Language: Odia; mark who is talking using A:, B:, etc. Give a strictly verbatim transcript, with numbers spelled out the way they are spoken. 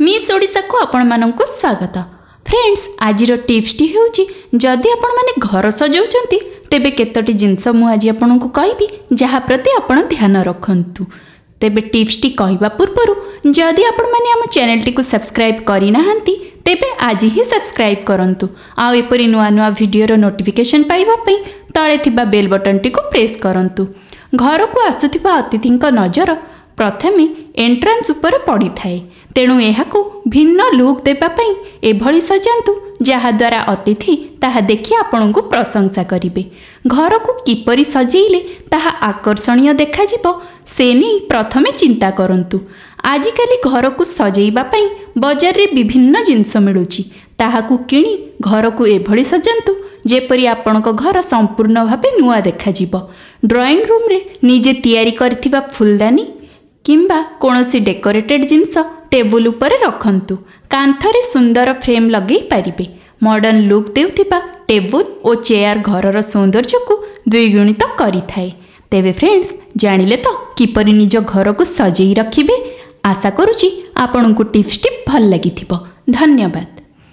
A: ମିସ୍ ଓଡ଼ିଶାକୁ ଆପଣମାନଙ୍କୁ ସ୍ୱାଗତ। ଫ୍ରେଣ୍ଡସ୍, ଆଜିର ଟିପ୍ସଟି ହେଉଛି, ଯଦି ଆପଣମାନେ ଘର ସଜାଉଛନ୍ତି, ତେବେ କେତୋଟି ଜିନିଷ ମୁଁ ଆଜି ଆପଣଙ୍କୁ କହିବି, ଯାହା ପ୍ରତି ଆପଣ ଧ୍ୟାନ ରଖନ୍ତୁ। ତେବେ ଟିପ୍ସଟି କହିବା ପୂର୍ବରୁ ଯଦି ଆପଣମାନେ ଆମ ଚ୍ୟାନେଲଟିକୁ ସବସ୍କ୍ରାଇବ୍ କରିନାହାନ୍ତି, ତେବେ ଆଜି ହିଁ ସବସ୍କ୍ରାଇବ୍ କରନ୍ତୁ ଆଉ ଏପରି ନୂଆ ନୂଆ ଭିଡ଼ିଓର ନୋଟିଫିକେସନ୍ ପାଇବା ପାଇଁ ତଳେ ଥିବା ବେଲ୍ ବଟନ୍ଟିକୁ ପ୍ରେସ୍ କରନ୍ତୁ। ଘରକୁ ଆସୁଥିବା ଅତିଥିଙ୍କ ନଜର ପ୍ରଥମେ ଏଣ୍ଟ୍ରାନ୍ସ ଉପରେ ପଡ଼ିଥାଏ। ତେଣୁ ଏହାକୁ ଭିନ୍ନ ଲୁକ୍ ଦେବା ପାଇଁ ଏଭଳି ସଜାନ୍ତୁ, ଯାହାଦ୍ୱାରା ଅତିଥି ତାହା ଦେଖି ଆପଣଙ୍କୁ ପ୍ରଶଂସା କରିବେ। ଘରକୁ କିପରି ସଜେଇଲେ ତାହା ଆକର୍ଷଣୀୟ ଦେଖାଯିବ, ସେ ନେଇ ପ୍ରଥମେ ଚିନ୍ତା କରନ୍ତୁ। ଆଜିକାଲି ଘରକୁ ସଜେଇବା ପାଇଁ ବଜାରରେ ବିଭିନ୍ନ ଜିନିଷ ମିଳୁଛି। ତାହାକୁ କିଣି ଘରକୁ ଏଭଳି ସଜାନ୍ତୁ, ଯେପରି ଆପଣଙ୍କ ଘର ସମ୍ପୂର୍ଣ୍ଣ ଭାବେ ନୂଆ ଦେଖାଯିବ। ଡ୍ରଇଂ ରୁମ୍ରେ ନିଜେ ତିଆରି କରିଥିବା ଫୁଲଦାନୀ କିମ୍ବା କୌଣସି ଡେକୋରେଟେଡ୍ ଜିନିଷ ଟେବୁଲ ଉପରେ ରଖନ୍ତୁ। କାନ୍ଥରେ ସୁନ୍ଦର ଫ୍ରେମ୍ ଲଗେଇ ପାରିବେ। ମଡର୍ଣ୍ଣ ଲୁକ୍ ଦେଉଥିବା ଟେବୁଲ ଓ ଚେୟାର ଘରର ସୌନ୍ଦର୍ଯ୍ୟକୁ ଦ୍ୱିଗୁଣିତ କରିଥାଏ। ତେବେ ଫ୍ରେଣ୍ଡସ୍, ଜାଣିଲେ ତ କିପରି ନିଜ ଘରକୁ ସଜେଇ ରଖିବେ? ଆଶା କରୁଛି ଆପଣଙ୍କୁ ଟିପ୍ସଟି ଭଲ ଲାଗିଥିବ। ଧନ୍ୟବାଦ।